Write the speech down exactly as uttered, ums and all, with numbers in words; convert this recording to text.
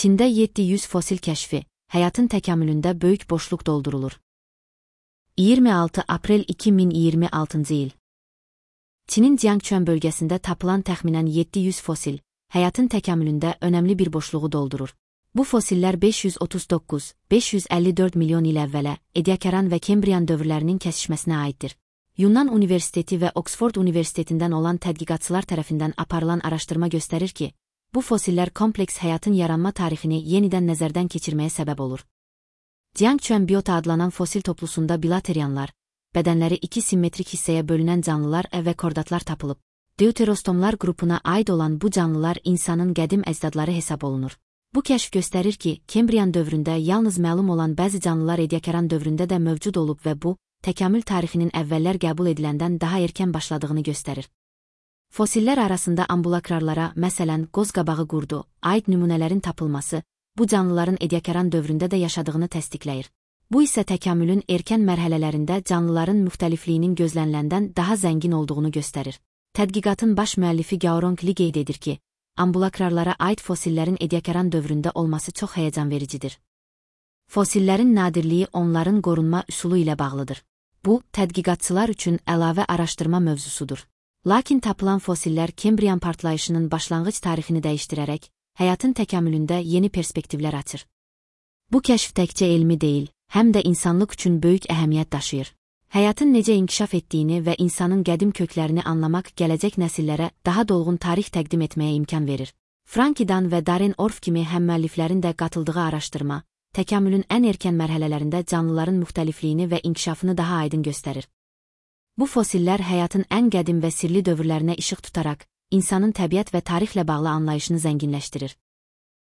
Çində yeddi yüz fosil kəşfi, həyatın təkamülündə böyük boşluq doldurulur. iyirmi altı aprel iki min iyirmi altıncı il. Çinin Jiangquan bölgəsində tapılan təxminən yeddi yüz fosil, həyatın təkamülündə önəmli bir boşluğu doldurur. Bu fosillər beş yüz otuz doqquz - beş yüz əlli dörd milyon il əvvələ, Ediacaran və Kembrian dövrlərinin kəsişməsinə aiddir. Yunan Universiteti və Oxford Universitetindən olan tədqiqatçılar tərəfindən aparılan araşdırma göstərir ki, bu fosillər kompleks həyatın yaranma tarixini yenidən nəzərdən keçirməyə səbəb olur. Jiangquan biota adlanan fosil toplusunda bilaterianlar, bədənləri iki simmetrik hissəyə bölünən canlılar və kordatlar tapılıb. Deuterostomlar qrupuna aid olan bu canlılar insanın qədim əcdadları hesab olunur. Bu kəşf göstərir ki, Kembrian dövründə yalnız məlum olan bəzi canlılar Ediacaran dövründə də mövcud olub və bu, təkamül tarixinin əvvəllər qəbul ediləndən daha erkən başladığını göstərir. Fosillər arasında ambulakrarlara, məsələn, qozqabağı qurdu, aid nümunələrin tapılması, bu canlıların Ediacaran dövründə də yaşadığını təsdiqləyir. Bu isə təkamülün erkən mərhələlərində canlıların müxtəlifliyinin gözləniləndən daha zəngin olduğunu göstərir. Tədqiqatın baş müəllifi Gaorong Li qeyd edir ki, ambulakrarlara aid fosillərin Ediacaran dövründə olması çox həyəcanvericidir. Fosillərin nadirliyi onların qorunma üsulu ilə bağlıdır. Bu, tədqiqatçılar üçün əlavə araşdırma mövzusudur. Lakin tapılan fosillər Kembrian partlayışının başlanğıc tarixini dəyişdirərək, həyatın təkamülündə yeni perspektivlər açır. Bu kəşf təkcə elmi deyil, həm də insanlıq üçün böyük əhəmiyyət daşıyır. Həyatın necə inkişaf etdiyini və insanın qədim köklərini anlamaq gələcək nəsillərə daha dolğun tarix təqdim etməyə imkan verir. Frankidan və Darren Orff kimi həmmüəlliflərin də qatıldığı araşdırma, təkamülün ən erkən mərhələlərində canlıların müxtəlifliyini və inkişafını daha aydın göstərir. Bu fosillər həyatın ən qədim və sirli dövrlərinə işıq tutaraq, insanın təbiət və tarixlə bağlı anlayışını zənginləşdirir.